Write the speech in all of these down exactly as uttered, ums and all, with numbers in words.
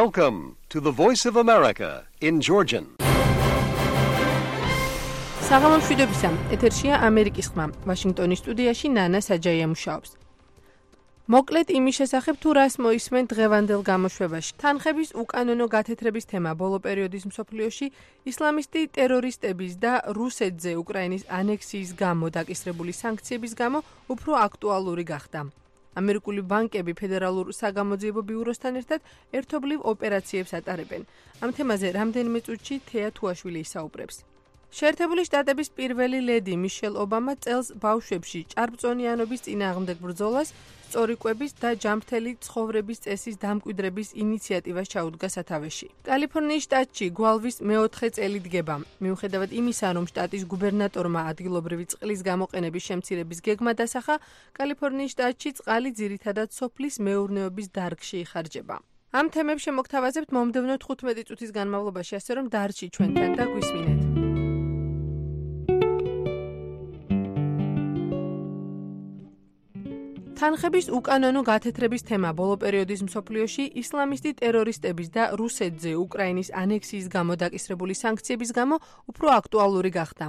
Welcome to the Voice of America in Georgian. საღამო მშვიდობისა, ეთერშია ამერიკის ხმა. ვაშინგტონის სტუდიაში ნანა საჯაია მუშაობს. მოკლედ იმის შესახებ თუ რას მოისმენ დღევანდელ გამოშვებაში. თანხების უკანონო გათეთრების თემა ბოლო პერიოდის მსოფლიოში ისლამისტი ტერორისტების და რუსეთზე უკრაინის ანექსიის გამო დაკისრებული სანქციების გამო უფრო აქტუალური გახდა. ამერიკული ბანკები ფედერალურ საგამოძიებო ბიუროსთან ერთად ერთობლივ ოპერაციებს ატარებენ. ამ თემაზე რამდენიმე წუთში თეა თუაშვილი ისაუბრებს. შეერთებული შტატების პირველი ლედი მიშელ ობამა წელს ბავშვებში ჭარბწონიანობის წინააღმდეგ ბრძოლას, სწორი კვების და ჯანმრთელი ცხოვრების წესის დამკვიდრების ინიციატივას ჩაუდგა სათავეში. კალიფორნიის შტატში გვალვის მეოთხე წელი დგება. მიუხედავად იმისა, რომ შტატის გუბერნატორმა ადგილობრივი წყლის გამოყენების შემცირების გეგმა დასახა, კალიფორნიის შტატში წყალი ძირითადად სოფლის მეურნეობის დარგში იხარჯება. ამ თემებს შემოგთავაზებთ მომდევნო თხუთმეტი წუთის განმავლობაში, ასე რომ დარჩი ჩვენთან და გვისმინეთ. თანხების უკანონო გათეთრების თემა ბოლო პერიოდის მსოფლიოში ისლამისტი ტერორისტების და რუსეთზე უკრაინის ანექსიის გამო დაკისრებული სანქციების გამო უფრო აქტუალური გახდა.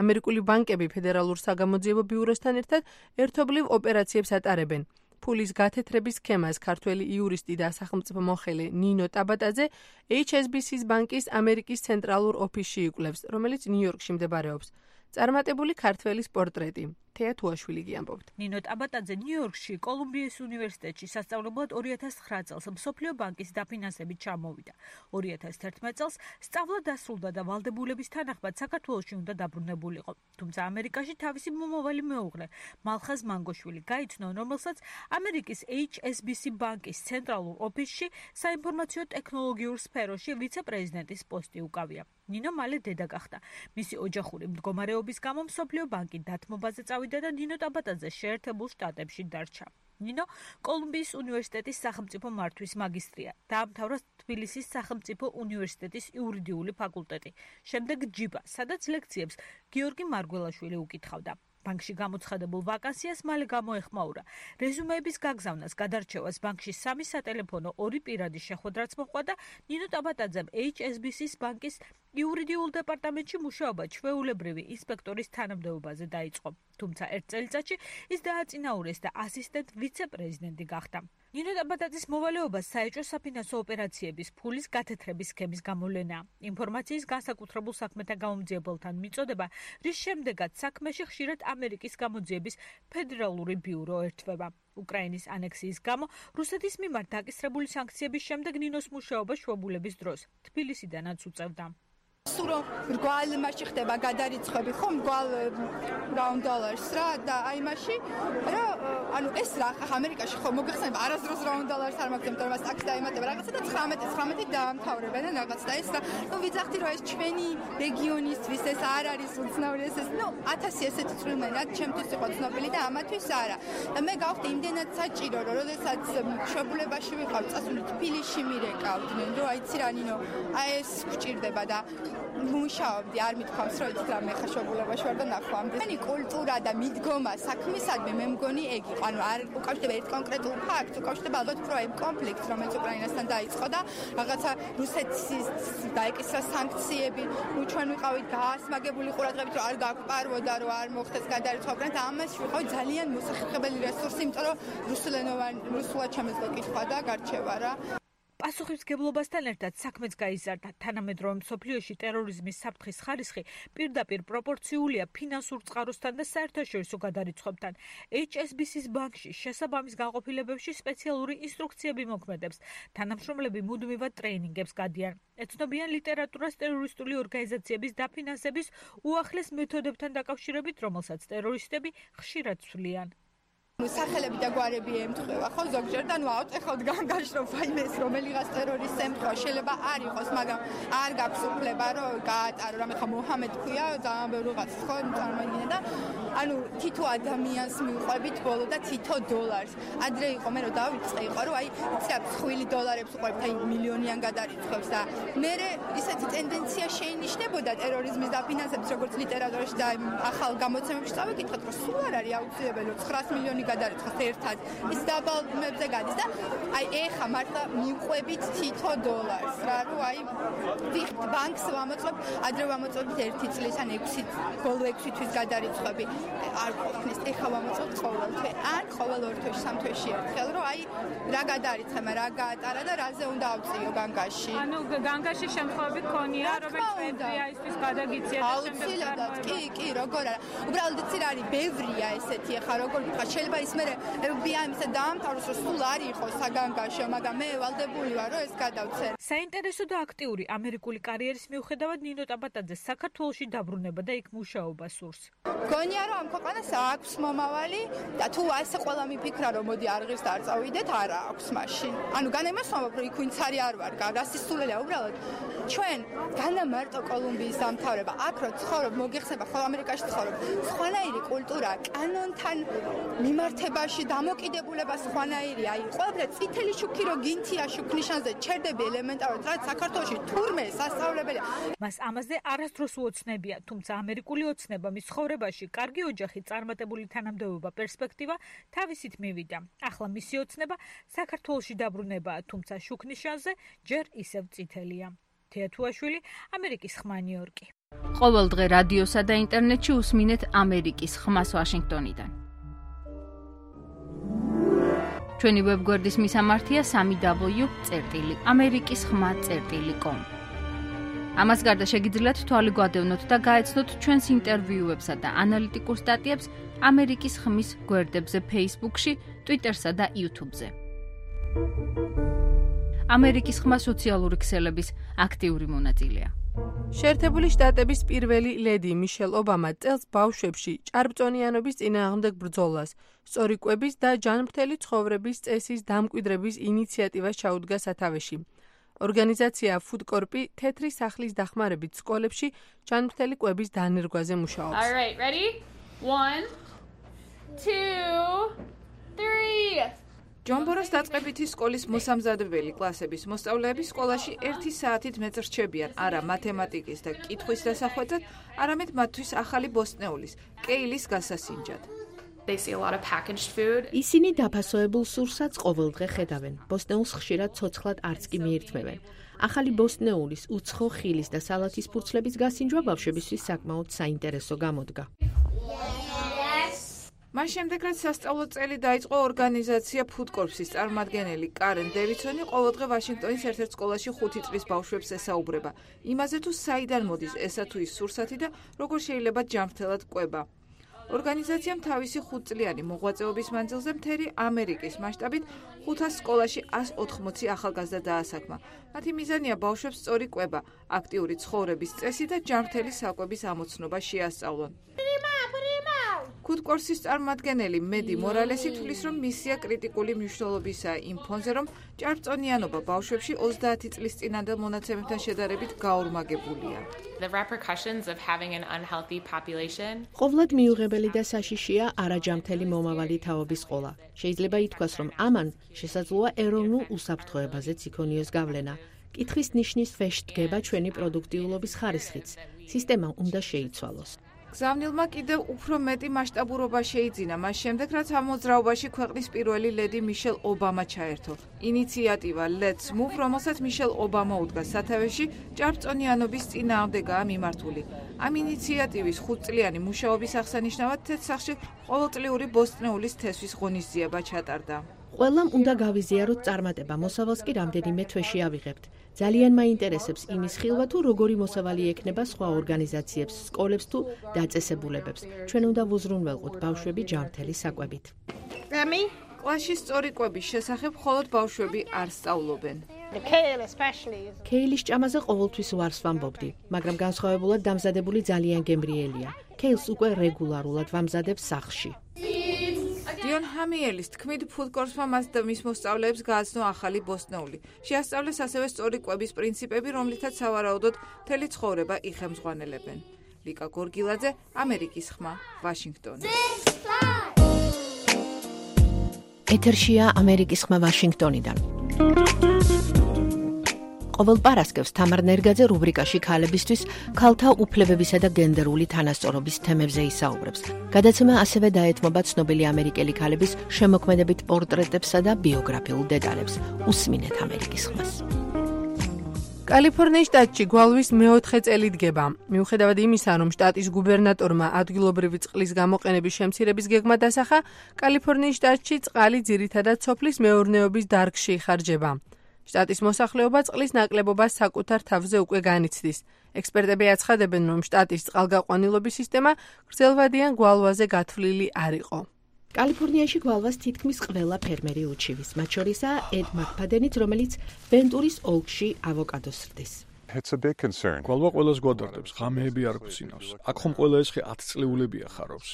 ამერიკული ბანკები ფედერალურ საგამოძიებო ბიუროსთან ერთად ერთობლივ ოპერაციებს ატარებენ. ფულის გათეთრების სქემას ქართველი იურისტი და სახელმწიფო მოხელე ნინო ტაბატაძე ეიჩ ეს ბი სი-ის ბანკის ამერიკის ცენტრალურ ოფისში იკვლევს, რომელიც ნიუ-იორკში მდებარეობს. წარმატებული ქართველის პორტრეტი. თეა თუაშვილი გიამბობთ. ნინო ტაბატაძე ნიუ-იორკში კოლუმბიის უნივერსიტეტში სასწავლებლად ორი ათას ცხრა წელს მსოფლიო ბანკის დაფინანსებით ჩამოვიდა. ორი ათას თერთმეტ წელს სწავლა დასრულდა და ვალდებულების თანახმად საქართველოში უნდა დაბრუნებულიყო. თუმცა ამერიკაში თავისი მომავალი მეუღლე მალხაზ მანგოშვილი გაიცნო, რომელსაც ამერიკის ეიჩ ეს ბი სი ბანკის ცენტრალურ ოფისში საინფორმაციო ტექნოლოგიურ სფეროში ვიცე-პრეზიდენტის პოსტი უკავია. ნინო მალე დედა გახდა. მისი ოჯახური მდგომარეობის გამო მსოფლიო ბანკი დათმობაზე წავიდა და ნინო ტაბატაძე შეერთებულ შტატებში დარჩა. ნინო კოლუმბიის უნივერსიტეტის სახელმწიფო მართვის მაგისტრია. დაამთავრა თბილისის სახელმწიფო უნივერსიტეტის იურიდიული ფაკულტეტი. შემდეგ ჯიბა, სადაც ლექციებს გიორგი მარგველაშვილი უკითხავდა. ბანკში გამოცხადებულ ვაკანსიას მალე გამოეხმაურა. რეზუმეების გაგზავნას, გადარჩევას ბანკში სამი სატელეფონო, ორი პირადი შეხვედრაც მოჰყვა და ნინო ტაბატაძემ ეიჩ ეს ბი სი-ის ბანკის იურიდიულ დეპარტამენტში მუშაობა ჩვეულებრივი ინსპექტორის თანამდებობაზე დაიწყო. თუმცა ერთ წელიწადში ის დააწინაურეს და ასისტენტ ვიცე-პრეზიდენტი გახდა. ნინო ტაბატაძის მოვალეობა საეჭვო საფინანსო ოპერაციების ფულის გათეთრების სქემის გამოვლენაა. ინფორმაციის განსაკუთრებულ საქმეთა გამომძიებელთან მიწოდება, რის შემდეგაც საქმეში ხშირად ამერიკის გამოძიების ფედერალური ბიურო ერთვება. უკრაინის ანექსიის გამო რუსეთის მიმართ დაკისრებული სანქციების შემდეგ ნინოს მუშაობა შვებულების დროს თბილისიდანაც უწევდა. სურო მრგვალ მასში ხდება გადარიცხვები, ხო, მრგვალ რაუნდ დოლარს რა და აი მასში რა ანუ ეს რა ხა ამერიკაში ხო მოგეხსენება არასდროს რაუნდ დოლარს არ მაგდեմ და მას აქ დაემატება რაღაცა და ცხრამეტი ცხრამეტი დაამთავრებენ და რაღაც და ეს და ნუ ვიძახდი რომ ეს ჩვენი რეგიონისთვის ეს არ არის უცნაური ეს ეს ნუ ათასი ესეთი წვრილმენად ჩემთვის იყო ცნობილი და ამათვის არა და მე გავხდი იმდენად საჭირო რომ როდესაც მშობლებაში ვიყავ წასული თბილისში მირეკავდნენ რომ აიცი რა ნინო აი ეს გვჭირდება და მუშაობდი, არ მithქვამს, რომ იცით რა მე ხარ შობულებაში ვარ და ნახვამდი. მენი კულტურა და მიდგომა საქმისადმი მე მგონი ეგ იყო. ანუ არ უკავშირდება ერთ კონკრეტულ ფაქტს, უკავშირდება ალბათ უფრო იმ კონფლიქტს, რომელიც უკრაინასთან დაიწყო და რაღაცა რუსეთის დაეკისრა სანქციები, ნუ ჩვენ ვიყავით გაასმაგებული ყურადღებით, რომ არ გაგვპარვოდა, რომ არ მოხდეს გადარიცხვა უკრაინას და ამას ვიყავით ძალიან მოსახერხებელი რესურსი, იმიტომ რომ რუსულენოვანი რუსულად შემეძლო კითხვა და გარჩევა რა. პასუხისმგებლობასთან ერთად საქმეც გაიზარდა. თანამედროვე მსოფლიოში ტერორიზმის საფრთხის ხარისხი პირდაპირ პროპორციულია ფინანსურ წყაროსთან და საერთაშორისო გადარიცხვებთან. ეიჩ ეს ბი სი-ის ბანკში შესაბამის განყოფილებებში სპეციალური ინსტრუქციები მოქმედებს. თანამშრომლები მუდმივად ტრეინინგებს გადიან. ეცნობიან ლიტერატურას ტერორისტული ორგანიზაციების დაფინანსების უახლეს მეთოდებთან დაკავშირებით, რომელსაც ტერორისტები ხშირად ცვლიან. სახელები და გვარები ემთხვევა, ხო, ზოგჯერ და ნუ ავწეხავთ განგაშრობ ფაილს, რომელიღაც ტერორისტს ემთხვევა, შეიძლება არ იყოს, მაგრამ არ გაქვს უფლება, რომ გაატარო, რამე ხა მოჰამედ ქვია, ძალიან ბევრი რაღაც, ხო, წარმოიდგინე და ანუ თითო ადამიანს მიუყვებით ბოლო და თითო დოლარს. ადრე იყო მე რომ დავიწყე, იყო რომ აი, იცი რა, ხუთი დოლარებს უყვებით, აი მილიონიან გადარიცხვებს და მე ისეთი ტენდენცია შეინიშნებოდა ტერორიზმის დაფინანსების, როგორც ლიტერატურაში და ახალ გამოცემებში წავიკითხეთ, რომ სულ არ არის აუცილებელი ცხრაას მილიონი გადარიცხოს ერთად. ის დაბალმებზე გადის და აი ეხა მართლა მივყვებით თითო დოლარს რა, რომ აი ვიხთ ბანკს ვამოწმებ, ადრე ვამოწმებით ერთი წლის ან ექვსი ბოლო ექვსი თვის გადარიცხვები არ ყოფნის. ეხა ვამოწმებთ ყოველ თვე, ან ყოველ ორ თვეში, სამ თვეში ერთხელ, რომ აი რა გადარიცხება, რა გაატარა და რაზე უნდა ავწიო განგაში. ანუ განგაში შემთხვევები ქონია, რომელიც ბევრია ისთვის გადაგიცია და აუცილებლად კი, კი, როგორ არა. უბრალოდ იცი რა არის, ბევრია ესეთი ახლა როგორ ვთქვა, შეიძლება ის მე ეფ ბი აი ისე დაამთავროს, რომ სულ არ იყოს საგანგაშო, მაგრამ მე ვალდებული ვარ, რომ ეს გადავცე. საინტერესო და აქტიური ამერიკული კარიერის მიუხედავად ნინო ტაბატაძე საქართველოში დაბრუნება და იქ მუშაობა სურს. გონია რომ ამ ქვეყანას აქვს მომავალი და თუ ასე ყველა მიფიქრა რომ მოდი არღირს და არ წავიდეთ, არა აქვს მაშინ. ანუ განემასვამებ რომ იქ ვინც არის არ ვარ, გასისულელია უბრალოდ. ჩვენ განა მარტო კოლუმბიის დამთავრება, აქ რო ცხოვრობ, მოგიხსნება ხოლმე ამერიკაში ცხოვრობ. სხვანაირი კულტურა, კანონთან მიმართებაში დამოკიდებულება სხვანაირი. აი, ყველაფერი წითელი შუქი რო გინთია შუქნიშანზე, ჩერდები ელემენტარულად, რაც საქართველოში თურმე სასწავლებელია. მას ამაზე არასდროს უოცნებია, თუმცა ამერიკული ოცნება მის ცხოვრებაში კარგი ოჯახი, წარმატებული თანამდებობა, პერსპექტივა თავისით მივიდა. ახლა მისი ოცნება საქართველოში დაბრუნებაა, თუმცა შუქნიშანზე ჯერ ისევ წითელია. თეათუაშვილი, ამერიკის ხმა ნიუ-იორკი. ყოველ დღე რადიოსა და ინტერნეტში უსმინეთ ამერიკის ხმას ვაშინგტონიდან. ჩვენი ვებგვერდის მისამართია სამი დაბლიუ წერტილი ამერიკის ხმა წერტილი კომ. ამას გარდა შეგიძლიათ თვალი გვადევნოთ და გაეცნოთ ჩვენს ინტერვიუებსა და ანალიტიკურ სტატიებს ამერიკის ხმის გვერდებზე Facebook-ში, Twitter-სა და YouTube-ზე. ამერიკის ხმა სოციალური ქსელების აქტიური მონაწილეა. შეერთებული შტატების პირველი ლედი მიშელ ობამა წელს ბავშვებში ჭარბწონიანობის წინააღმდეგ ბრძოლას, სწორი კვების და ჯანმრთელი ცხოვრების წესის დამკვიდრების ინიციატივას ჩაუდგა სათავეში. ორგანიზაცია ფუდკორპი თეთრი სახლის დახმარებით სკოლებში ჯანმრთელი კვების დანერგვაზე მუშაობს. All right, ready? one, two, three. ჯონბოროს დაწყებითი სკოლის მოსამზადებელი კლასების მოსწავლეები სკოლაში ერთი საათით მეტ რჩებიან არა მათემატიკის და კითხვის დასახვედრად, არამედ მათთვის ახალი ბოსტნეულის, კეილის გასასინჯად. They see a lot of packaged food. ისინი დაფასოებულ სურსათს ყოველდღე ხედავენ. ბოსტნეულს ხშირად ცოცხლად არც კი მიირთმევენ. ახალი ბოსტნეულის, უცხო ხილის და სალათის ფურცლების გასინჯვა ბავშვებისთვის საკმაოდ საინტერესო გამოდგა. მას შემდეგ, რაც სასწავლო წელი დაიწყო, ორგანიზაცია ფუდკორპსის წარმომადგენელი კარენ დევიდსონი ყოველდღე ვაშინგტონის ერთ-ერთ სკოლაში ხუთი წლის ბავშვებს ესაუბრება. იმაზე თუ საიდან მოდის ესა თუ ის სურსათი და როგორ შეიძლება ჯანმრთელად კვება. ორგანიზაციამ თავისი ხუთწლიანი მოღვაწეობის მანძილზე მთელი ამერიკის მასშტაბით ხუთას სკოლაში ასი ოთხმოცი ახალგაზრდა დაასაქმა. მათი მიზანია ბავშვებს სწორი კვება, აქტიური ცხოვრების წესი და ჯანმრთელი საკვების ამოცნობა შეასწავლონ. ფუდკორპსის წარმომადგენელი მედი მორალესი თვლის, რომ მისია კრიტიკული მნიშვნელობისაა იმ ფონზე, რომ ჭარბწონიანობა ბავშვებში ოცდაათი წლის წინანდელ მონაცემებთან შედარებით გაორმაგებულია. The repercussions of having an unhealthy population. ყოვლად მიუღებელი და საშიშია არაჯანმრთელი მომავალი თაობის ყოლა. შეიძლება ითქვას, რომ ამან შესაძლოა ეროვნულ უსაფრთხოებაზეც იქონიოს გავლენა. კითხვის ნიშნის ქვეშ დგება ჩვენი პროდუქტიულობის ხარისხიც. სისტემა უნდა შეიცვალოს. გზავნილმა კიდევ უფრო მეტი მასშტაბურობა შეიძინა მას შემდეგ, რაც ამ მოძრაობაში ქვეყნის პირველი ლედი მიშელ ობამა ჩაერთო. ინიციატივა Let's Move, რომელსაც მიშელ ობამა უდგა სათავეში, ჭარბწონიანობის წინააღმდეგაა მიმართული. ამ ინიციატივის ხუთწლიანი მუშაობის აღსანიშნავად თეთრსახში ყოველწლიური ბოსტნეულის თესვის ღონისძიება ჩატარდა. ყველამ უნდა გავიზიაროთ წარმატება, მოსავალს კი რამდენიმე თვეში ავიღებთ. ძალიან მაინტერესებს იმის ხილვა თუ როგორი მოსავალი ექნება სხვა ორგანიზაციებს, სკოლებს თუ დაწესებულებებს. ჩვენ უნდა ვუზრუნველყოთ ბავშვები ჯანმრთელი საკვებით. კლასში სწორი კვების შესახებ მხოლოდ ბავშვები არ სწავლობენ. კეილის ჭამაზე ყოველთვის ვარს ვამბობდი, მაგრამ განსხვავებულად დამზადებული ძალიან გემრიელია. კეილს უკვე რეგულარულად ვამზადებ სახლში. დიონ ჰამიელის თქმით, ფუდკორპსმა მას და მის მოსწავლეებს გააცნო ახალი ბოსტნეული. შეასწავლეს ასევე სწორი კვების პრინციპები, რომლითაც სავარაუდოდ მთელი ცხოვრება იხემძღვანელებენ. ლიკა გორგილაძე, ამერიკის ხმა, ვაშინგტონი. ეთერშია ამერიკის ხმა ვაშინგტონიდან. ყოველ პარასკევს თამარ ნერგაძე რუბრიკაში ქალებისთვის ქალთა უფლებებისა და გენდერული თანასწორობის თემებზე ისაუბრებს. გადაცემა ასევე დაეთმობა ცნობილი ამერიკელი ქალების შემოქმედებით პორტრეტებსა და ბიოგრაფიულ დეტალებს. უსმინეთ ამერიკის ხმას. კალიფორნიის შტატში გვალვის მეოთხე წელი დგება. მიუხედავად იმისა, რომ შტატის გუბერნატორმა ადგილობრივი წყლის გამოყენების შემცირების გეგმა დასახა, კალიფორნიის შტატში წყალი ძირითადად სოფლის მეურნეობის დარგში იხარჯება. შტატის მოსახლეობა წყლის ნაკლებობას საკუთარ თავზე უკვე განიცდის. ექსპერტები აცხადებენ, რომ შტატის წყალგაყვანილობის სისტემა გრძელვადიან გვალვაზე გათვლილი არ იყო. კალიფორნიაში გვალვას თითქმის ყველა ფერმერი უჩივის, მათ შორისაა ედ მაკფადენიც, რომელიც ვენტურის ოლქში ავოკადოს სრდის. გვალვა ყველას გვადარდებს, ღამეები არ გვცინავს. აქ ხომ ყველა ეს ხე ათწლეულებია ხარობს.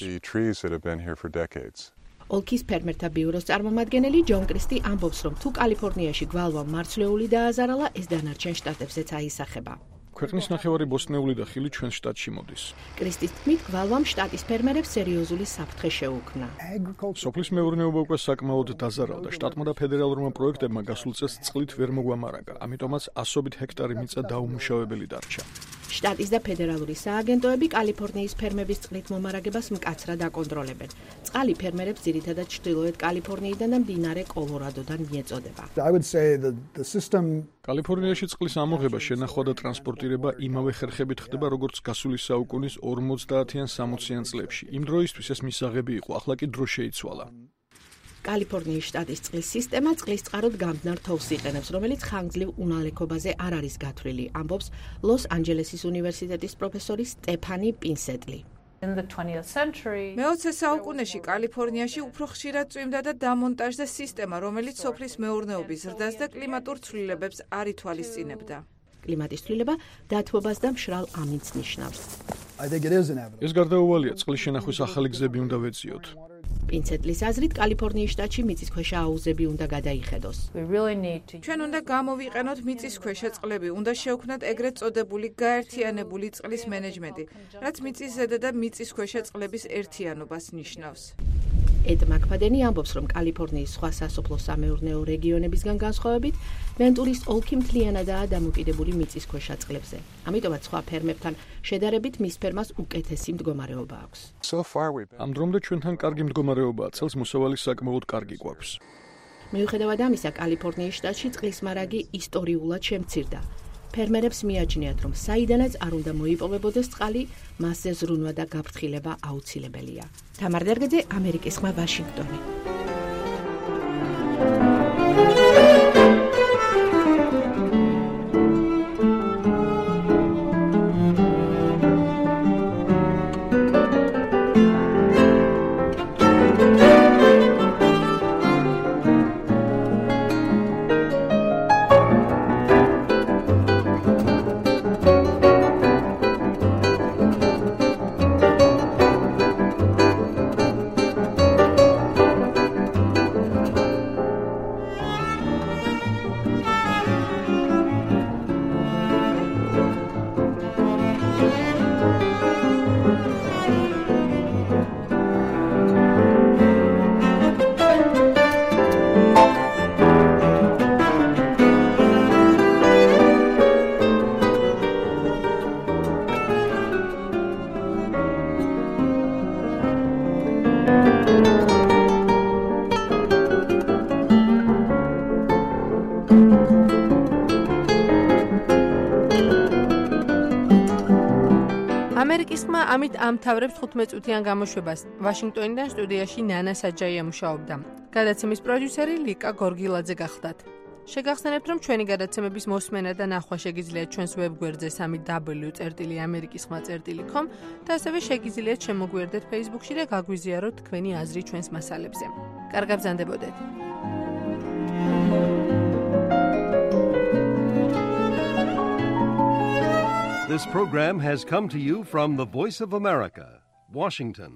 ოლქის ფერმერთა ბიუროს წარმომადგენელი ჯონ კრისტი ამბობს, რომ თუ კალიფორნიაში გვალვა მარცვლეული დააზარალა, ეს დანარჩენ შტატებზეც აისახება. ქვეყნის ნახევარი ბოსტნეული და ხილი ჩვენ შტატში მოდის. კრისტის თქმით, გვალვამ შტატის ფერმერებს სერიოზული საფრთხე შეუქმნა. სოფლის მეურნეობა უკვე საკმაოდ დაზარალდა. შტატმა და ფედერალურმა პროექტებმა გასულ წელს წყლით ვერ მოგვამარაგა, ამიტომაც ასობით ჰექტარი მიწა დაუმუშავებელი დარჩა. შტატის და ფედერალური სააგენტოები კალიფორნიის ფერმების წყლით მომარაგებას მკაცრად აკონტროლებენ. წყალი ფერმერებს ძირითადად ჩრდილოეთ კალიფორნიიდან და მდინარე კოლორადოდან მიეწოდება. კალიფორნიაში წყლის ამოღება, შენახვა და ტრანსპორტირება იმავე ხერხებით ხდება, როგორც გასული საუკუნის ორმოცდაათიან სამოციან წლებში. იმ დროისთვის ეს მისაღები იყო, ახლა კი დრო შეიცვალა. კალიფორნიის შტატის წყლის სისტემა წყლის წყაროდ გამდნარ თოვს იყენებს, რომელიც ხანგრძლივ უნალექობაზე არ არის გათვლილი, ამბობს ლოს-ანჯელესის უნივერსიტეტის პროფესორი სტეფანი პინსეტლი. მეოცე საუკუნეში კალიფორნიაში უფრო ხშირად წვიმდა და დამონტაჟდა სისტემა, რომელიც სოფლის მეურნეობის ზრდას და კლიმატურ ცვლილებებს არ ითვალისწინებდა. კლიმატის ცვლილება დათბობას და მშრალ ამინდს ნიშნავს. ეს გარდაუვალია, წყლის შენახვის ახალი გზები უნდა ვეციოთ. პინცეტლის აზრით, კალიფორნიის შტატში მიწისქვეშა აუზები უნდა გადაიხედოს. ჩვენ უნდა გამოვიყენოთ მიწისქვეშა წყლები, უნდა შევქმნათ ეგრეთ წოდებული გაერთიანებული წყლის მენეჯმენტი, რაც მიწისზედა და მიწისქვეშა წყლების ერთიანობას ნიშნავს. ედ მაკფადენი ამბობს, რომ კალიფორნიის სხვა სასოფლო-სამეურნეო რეგიონებისგან განსხვავებით, ვენტურის ოლქი მთლიანადაა დამოკიდებული მიწისქვეშა წყლებზე. ამიტომაც სხვა ფერმებთან შედარებით მის ფერმას უკეთესი მდგომარეობა აქვს. ამ დრომდე ჩვენთან კარგი მდგომარეობაა, წელს მოსავალი საკმაოდ კარგი გვაქვს. მიუხედავად ამისა, კალიფორნიის შტატში წყლის მარაგი ისტორიულად შემცირდა. ფერმერებს მიაჩნიათ, რომ საიდანაც არ უნდა მოიპოვებოდეს წყალი, მასზე ზრუნვა და გაფრთხილება აუცილებელია. თამარ ნერგაძე, ამერიკის ხმა, ვაშინგტონი. ამერიკის ხმა ამით ამთავრებს თხუთმეტ წუთიან გამოშვებას. ვაშინგტონიდან სტუდიაში ნანა საჯაია მუშაობდა. გადაცემის პროდიუსერი ლიკა გორგილაძე გახლდათ. შეგახსენებთ, რომ ჩვენი გადაცემების მოსმენა და ნახვა შეგიძლიათ ჩვენს ვებგვერდზე სამი დაბლიუ წერტილი ამერიკის ხმა წერტილი კომ და ასევე შეგიძლიათ შემოგვიერთდეთ Facebook-ში და გაგვიზიაროთ თქვენი აზრი ჩვენს მასალებზე. კარგად ბრძანდებოდეთ. This program has come to you from the Voice of America, Washington.